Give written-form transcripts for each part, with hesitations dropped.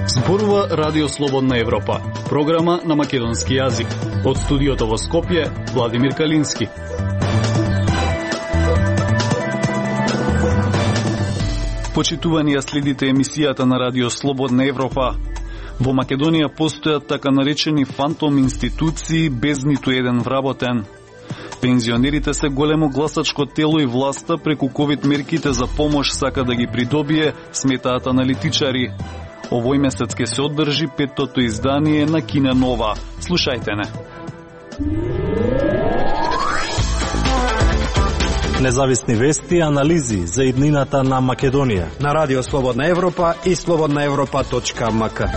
Зборува Радио Слободна Европа, програма на македонски јазик. Од студиото во Скопје, Владимир Калински. Почитувани ја следите емисијата на Радио Слободна Европа. Во Македонија постојат така наречени фантом институции без ниту еден вработен. Пензионерите се големо гласачко тело и власта преку ковид мерките за помош сака да ги придобие, сметаат аналитичари. Овој месец ке се одржи 5-тото издание на Кина Нова. Слушајте не. Независни вести и анализи за иднината на Македонија на Радио Слободна Европа и slobodnaevropa.mk.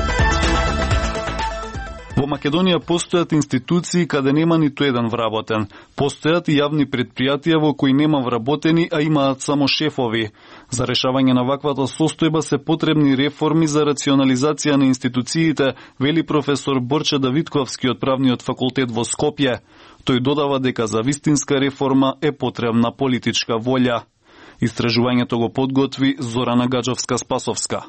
Во Македонија постојат институции каде нема ниту еден вработен. Постојат и јавни предпријатија во кои нема вработени, а имаат само шефови. За решавање на ваквата состојба се потребни реформи за рационализација на институциите, вели професор Борче Давидковски од Правниот факултет во Скопје. Тој додава дека за вистинска реформа е потребна политичка волја. Истражувањето го подготви Зорана Гаджовска-Спасовска.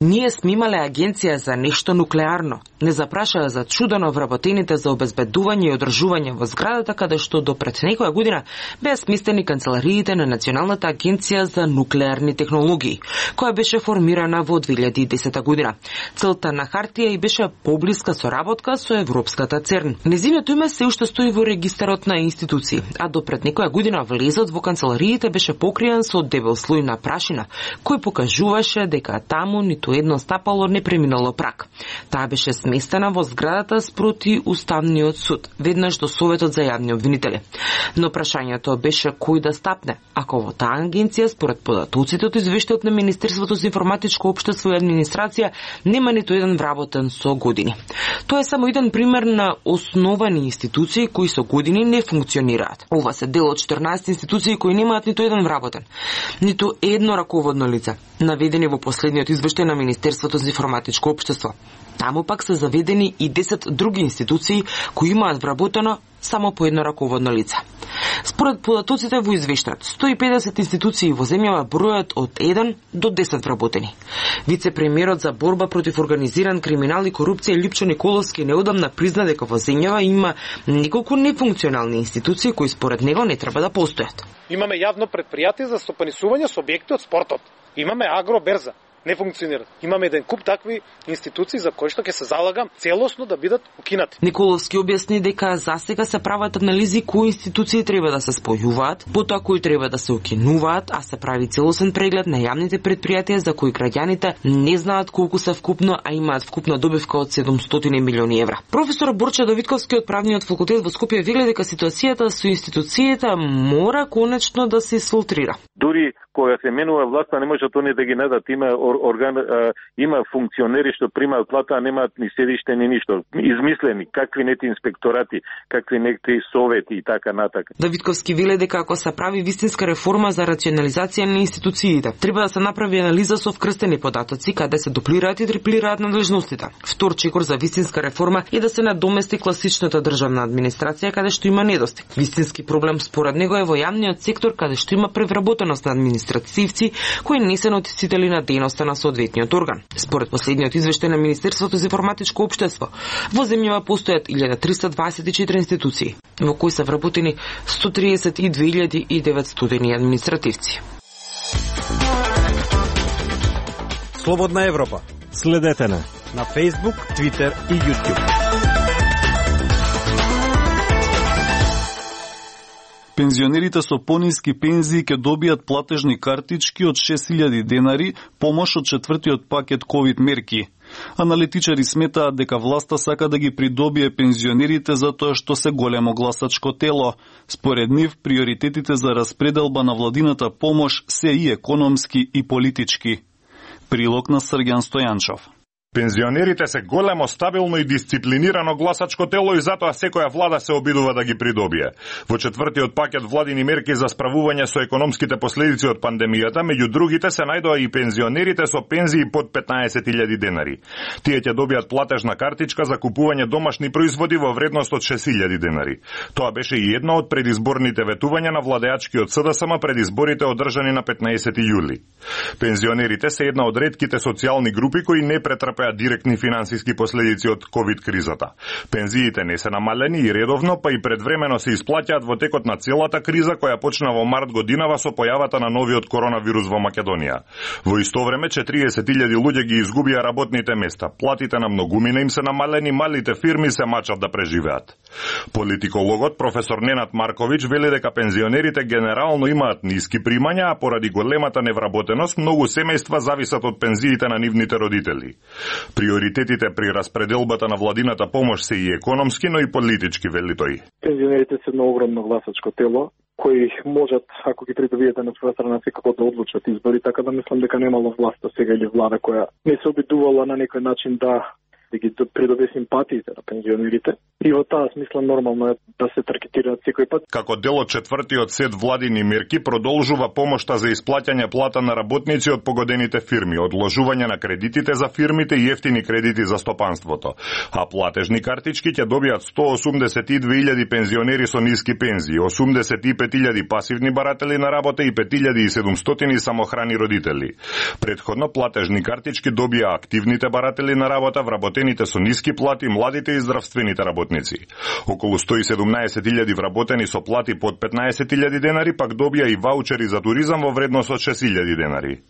Ние сме имале агенција за нешто нуклеарно. Не запрашаа за чудено вработените за обезбедување и одржување во зградата, каде што до пред некоја година беа сместени канцелариите на Националната агенција за нуклеарни технологии, која беше формирана во 2010 година. Целта на хартија и беше поблиска соработка со Европската ЦЕРН. Незиното име се уште стои во регистарот на институции, а до пред некоја година влезот во канцелариите беше покриен со дебел слој на прашина, кој покажуваше дека таму ниту едно стапало не преминало праг. Таа беше сместена во зградата спроти Уставниот суд, веднаш до Советот за јавни обвинители. Но прашањето беше кој да стапне, ако во таа агенција, според податоците од извештајот на Министерството за информатичко општество и администрација, нема ниту еден вработен со години. Тоа е само еден пример на основани институции кои со години не функционираат. Ова се дел од 14 институции кои немаат ниту еден вработен, ниту едно раководно лице, наведени во последниот извештај на Министерството за информатичко општество. Таму пак се заведени и 10 други институции кои имаат вработено само по едно раководно лице. Според податоците во извештајот, 150 институции во земјава бројат од 1 до 10 вработени. Вице-премиерот за борба против организиран криминал и корупција Липчо Николовски неодамна призна дека во земјава има неколку нефункционални институции кои според него не треба да постојат. Имаме јавно предпријатие за стопанисување со објекти од спортот. Имаме агроберза. Не функционираат. Имаме еден куп такви институции за кои што ќе се залагам целосно да бидат укинати. Николовски објасни дека засега се прават анализи кои институции треба да се спојуваат, потоа кои треба да се укинуваат, а се прави целосен преглед на јавните предпријатија за кои граѓаните не знаат колку се вкупно, а имаат вкупна добивка од 700 милиони евра. Професор Борче Давидковски од Правниот факултет во Скопје вели дека ситуацијата со институциите мора конечно да се исфилтрира. Дури кога се менува власта, не може тоа да ги надат. Има функционери што примаат плата, а немаат ни седиште ни ништо. Измислени, какви нети инспекторати, какви нети совети и така натака. Давидковски веле дека ако се прави вистинска реформа за рационализација на институциите, треба да се направи анализа со вкрстени податоци, каде се дуплираат и триплираат надлежностите. Втор чекор за вистинска реформа е да се надомести класичната државна администрација, каде што има недостиг. Вистински проблем според него е во јавниот сектор, каде што има превработеност на административци кои не се нотисители на дејноста на соодветниот орган. Според последниот извештај на Министерството за информатичко општество, во земјава постојат 1324 институции, во кои се вработени 132.900 административци. Слободна Европа. Следете на Facebook, Twitter и YouTube. Пензионерите со пониски пензии ќе добијат платежни картички од 6.000 денари, помош од четвртиот пакет ковид мерки. Аналитичари сметаат дека власта сака да ги придобие пензионерите затоа што се големо гласачко тело. Според нив, приоритетите за распределба на владината помош се и економски и политички. Прилог на Срѓан Стојанчов. Пензионерите се големо, стабилно и дисциплинирано гласачко тело и затоа секоја влада се обидува да ги придобие. Во четвртиот пакет владини мерки за справување со економските последици од пандемијата, меѓу другите се најдоа и пензионерите со пензии под 15.000 денари. Тие ќе добијат платежна картичка за купување домашни производи во вредност од 6.000 денари. Тоа беше и едно од предизборните ветувања на владеачкиот СДСМ пред изборите одржани на 15 јули. Пензионерите се една од ретките социјални групи кои не претрпеа директни финансиски последици од ковид кризата. Пензиите не се намалени и редовно, па и предвремено се исплаќаат во текот на целата криза која почна во март годинава со појавата на новиот коронавирус во Македонија. Во исто време 40.000 луѓе ги изгубија работните места, платите на многумина им се намалени, малите фирми се мачат да преживеат. Политикологот професор Ненад Марковиќ вели дека пензионерите генерално имаат ниски примања, а поради големата невработеност многу семејства зависат од пензиите на нивните родители. Приоритетите при распределбата на владината помош се и економски, но и политички, вели тој. Пензионерите се едно огромно гласачко тело, кои можат, ако ги придобиете на своја страна, секако да одлучат избори, така да мислам дека немало власта сега или влада која не се обидувала на некој начин да ги придобие симпатиите на пензионерите. И во таа смисла нормално е да се таргетираат секој пат. Како дел од четвртиот сет владини мерки продолжува помошта за исплаќање плата на работници од погодените фирми, одложување на кредитите за фирмите и ефтини кредити за стопанството. А платежни картички ќе добијат 182.000 пензионери со ниски пензии, 85.000 пасивни баратели на работа и 5.700 самохрани родители. Предходно платежни картички добија активните баратели на работа, вработените со ниски плати, младите и здравствените работници. Околу 117.000 вработени со плати под 15.000 денари пак добија и ваучери за туризам во вредност од 6.000 денари.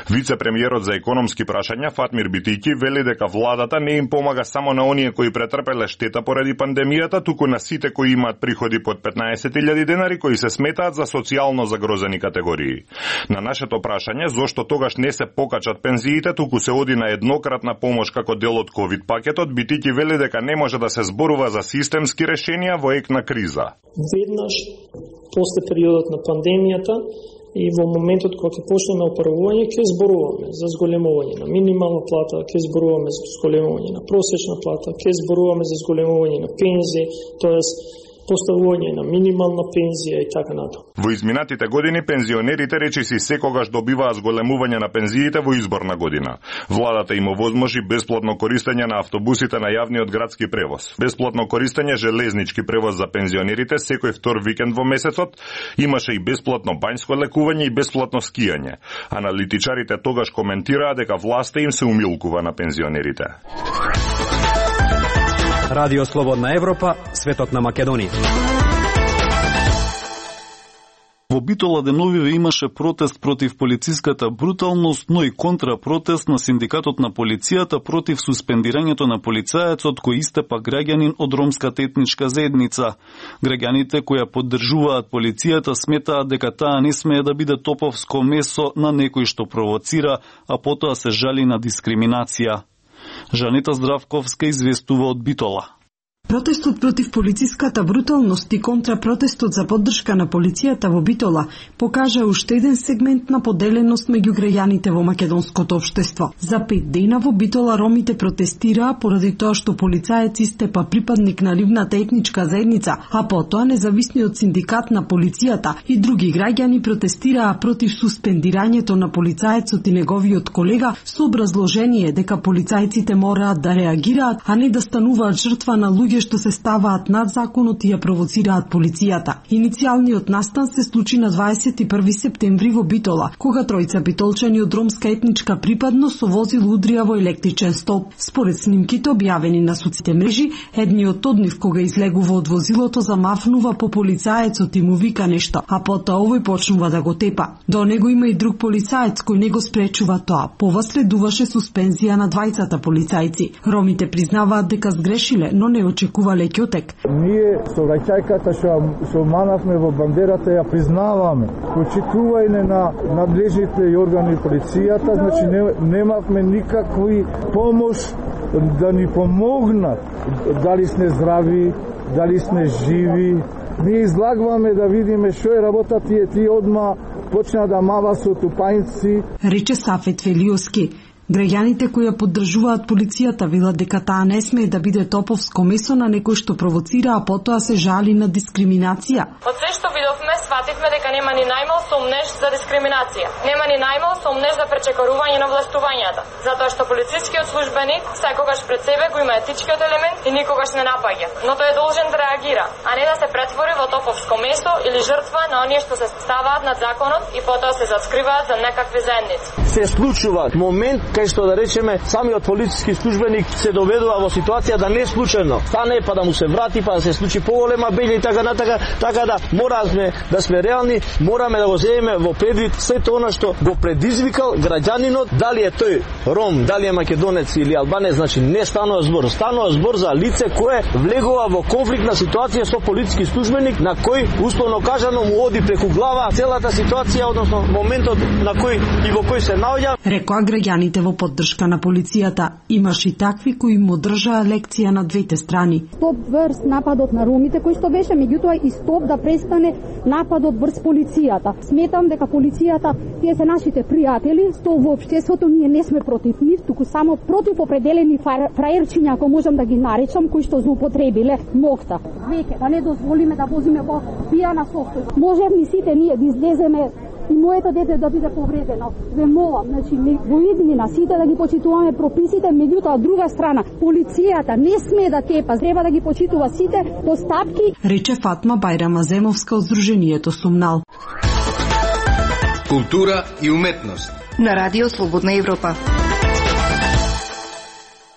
Вице-премиерот за економски прашања Фатмир Битики вели дека владата не им помага само на оние кои претрпеле штета поради пандемијата, туку на сите кои имаат приходи под 15.000 денари кои се сметаат за социјално загрозени категории. На нашето прашање зошто тогаш не се покачат пензиите, туку се оди на еднократна помош како дел од ковид пакетот, Битики вели дека не може да се зборува за системски решенија во ек на криза. Веднаш после периодот на пандемијата и во моментот кога ќе почнеме оправување, ќе зборуваме за зголемување на минимална плата, ќе зборуваме за зголемување на просечна плата, ќе зборуваме за зголемување на пензии, тоест поставување на минимална пензија и така натаму. Во изминатите години пензионерите речиси секогаш добиваа зголемување на пензиите во изборна година. Владата им овозможи бесплатно користење на автобусите на јавниот градски превоз, бесплатно користење железнички превоз за пензионерите секој втор викенд во месецот, имаше и бесплатно бањско лекување и бесплатно скијање. Аналитичарите тогаш коментираа дека власта им се умилкува на пензионерите. Радио Слободна Европа, светот на Македонија. Во Битола деновиве имаше протест против полициската бруталност, но и контрапротест на синдикатот на полицијата против суспендирањето на полицаецот кој истепа граѓанин од ромската етничка заедница. Граѓаните кои поддржуваат полицијата сметаат дека таа не смее да биде топовско месо на некој што провоцира, а потоа се жали на дискриминација. Жанета Здравковска известува од Битола. Протестот против полициската бруталност и контрапротестот за поддршка на полицијата во Битола покажа уште еден сегмент на поделеност меѓу граѓаните во македонското општество. За 5 дена во Битола ромите протестираа поради тоа што полицаец истепа припадник на нивната етничка заедница, а потоа независниот синдикат на полицијата и други граѓани протестираа против суспендирањето на полицаецот и неговиот колега со образложение дека полицајците мораат да реагираат, а не да стануваат жртва на луѓе што се ставаат над законот и ја провоцираат полицијата. Иницијалниот настан се случи на 21 септември во Битола, кога тројца битолчани од ромска етничка припадност со возило удрија во електричен столб. Според снимките објавени на социјалните мрежи, едниот од нив кога излегува од возилото замафнува по полицаецот и му вика нешто, а потоа овој почнува да го тепа. До него има и друг полицаец кој не го спречува тоа. Пова следуваше суспензија на двајцата полицајци. Ромите признаваат дека сгрешиле, но не очекувале ќотек. Ние со рајчајката што манавме во бандерата ја признаваме. Почитување на надлежните органи полицијата, значи немавме никакви помош да ни помогнат. Дали сме здрави, дали сме живи. Ние излагваме да видиме што е работа тие одма почна да мава со тупајци. Рече Сафет Велиоски. Граѓаните кои ја поддржуваат полицијата велат дека таа не смее да биде топовско месо на некој што провоцира, а потоа се жали на дискриминација. Од се што видовме, свативме дека нема ни најмал сомнеж за дискриминација. Нема ни најмал сомнеж за пречекорување на властувањата, затоа што полицискиот службеник секогаш пред себе го има етичкиот елемент и никогаш не напаѓа, но тој е должен да реагира, а не да се претвори во топовско месо или жртва на оние што се ставаат над законот и потоа се заскриваат за некакви заедници. Се случува момент кај што да речеме самиот полициски службеник се доведува во ситуација да не случајно стане па да му се врати па да се случи поголема беља и така натака, така да мораме да сме реални, мораме да го земеме во предвид сето она што го предизвикал граѓанинот, дали е тој ром, дали е македонец или албанец, значи не станува збор за лице кое влегува во конфликтна ситуација со полициски службеник на кој условно кажано му оди преку глава целата ситуација, односно моментот на кој и во кој се наоѓа. Рекоа граѓаните во поддршка на полицијата. Имаш и такви кои му држаа лекција на двете страни. Стоп врз нападот на ромите кој што беше, меѓутоа и стоп да престане нападот врз полицијата. Сметам дека полицијата, тие се нашите пријатели, што во општеството ние не сме против нив, туку само против определени фраерчиња, ако можам да ги наречам, кои што злоупотребиле мокта. Веќе да не дозволиме да возиме во пијана состојба. Можевме сите ние да излеземе и моето дете да биде повредено. Ве молам, значи во иднина сите да ги почитуваме прописите, меѓутоа од друга страна полицијата не смее да тепа, треба да ги почитува сите постапки. Рече Фатма Бајрама Земовска од Сдруженијето Сумнал. Култура и уметност на Радио Слободна Европа.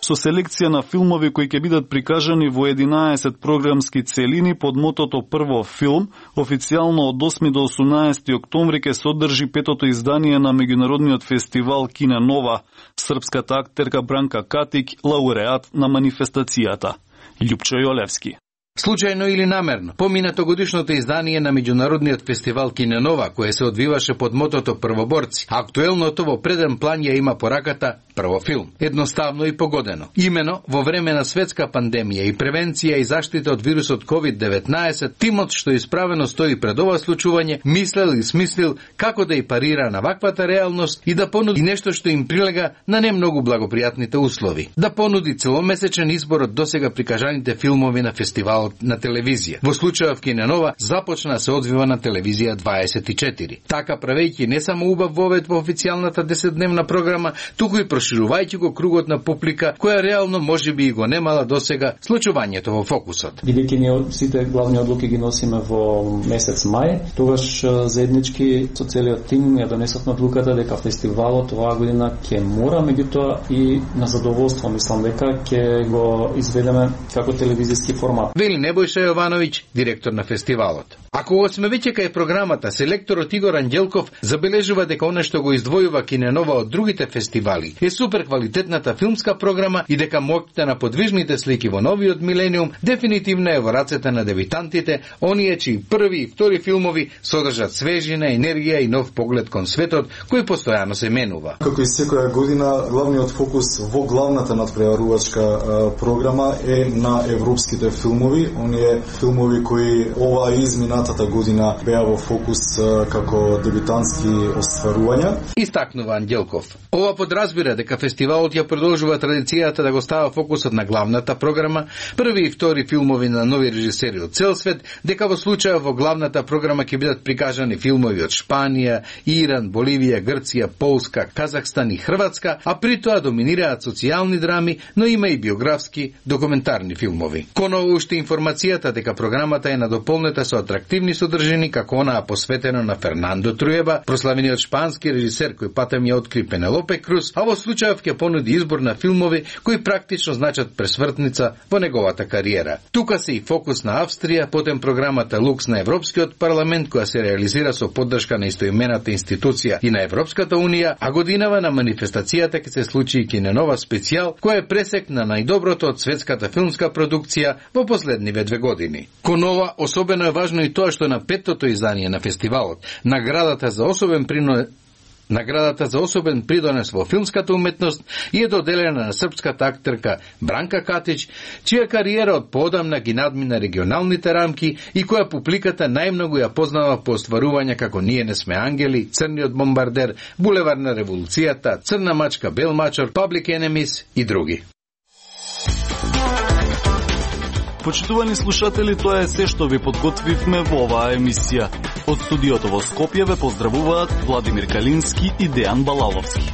Со селекција на филмови кои ќе бидат прикажани во 11 програмски целини под мотото Прво филм, официјално од 8 до 18 октомври ќе се одржи 5-то издание на меѓународниот фестивал Кине Нова. Српската актерка Бранка Катик, лауреат на манифестацијата. Љупчо Јолевски. Случајно или намерно, поминато годишното издание на меѓународниот фестивал Кине Нова, кое се одвиваше под мотото Првоборци, актуелното во преден план ја има пораката Прво филм. Едноставно и погодено. Имено, во време на светска пандемија и превенција и заштита од вирусот COVID-19, тимот што исправено стои пред ова случување, мислел и смислил како да и парира на ваквата реалност и да понуди нешто што им прилега на не многу благопријатните услови. Да понуди целомесечен избор од досега прикажаните филмови на фестивалот на телевизија. Во случајот Кине Нова започна се одвива на телевизија 24. Така правејќи не само убав вовед во официјалната 10-дневна програма, туку и проширувајќи го кругот на публика која реално можеби и го немала досега случувањето во фокусот. Бидејќи ние сите главни одлуки ги носиме во месец мај, тогаш заеднички со целиот тим ја донесовме одлуката дека фестивалот оваа година ќе мора, меѓутоа и на задоволство мислам дека ќе го изведеме како телевизиски формат. Вели Небојша Јовановиќ, директор на фестивалот. Ако го сме веќе кај програмата, селекторот Игор Анѓелков забележува дека она што го издвојува Кине Нова од другите фестивали е супер квалитетната филмска програма и дека моќта на подвижните слики во новиот милениум дефинитивно е во рацете на дебитантите, оние чии први и втори филмови содржат свежина, енергија и нов поглед кон светот кој постојано се менува. Како и секоја година, главниот фокус во главната надпреварувачка програма е на европските филмови, оние филмови кои оваа изминатата година беа во фокус како дебитантски остварувања. Истакнува Анѓелков. Ова подразбира дека фестивалот ја продолжува традицијата да го става фокусот на главната програма, први и втори филмови на нови режисери од цел свет, дека во случај во главната програма ќе бидат прикажани филмови од Шпанија, Иран, Боливија, Грција, Полска, Казахстан и Хрватска, а при тоа доминираат социјални драми, но има и биографски, документарни филмови. Коново уште информацијата дека програмата е надополнета со атрактивни содржини како онаа посветено на Фернандо Труеба, прославениот шпански режисер кој патем ја откри Пенелопе Круз, а во случајов ќе понуди избор на филмови кои практично значат пресвртница во неговата кариера. Тука се и фокус на Австрија, потем програмата Лукс на Европскиот парламент која се реализира со поддршка на истоимената институција и на Европската унија, а годинава на манифестацијата ќе се случи и Кине Нова специјал кој е пресек на најдоброто од светската филмска продукција во последниве 2 години. Кон ова особено е важно и тоа што на 5-тото издание на фестивалот наградата за особен принос Наградата за особен придонес во филмската уметност е доделена на српската актерка Бранка Катич, чија кариера од поодамна ги надмина регионалните рамки и која публиката најмногу ја познава по остварувања како Ние не сме ангели, Црниот бомбардер, Булевар на револуцијата, Црна мачка, Бел мачор, Public Enemies и други. Почитувани слушатели, тоа е се што ви подготвивме во оваа емисија. Од студиото во Скопје ве поздравуваат Владимир Калински и Дејан Балаловски.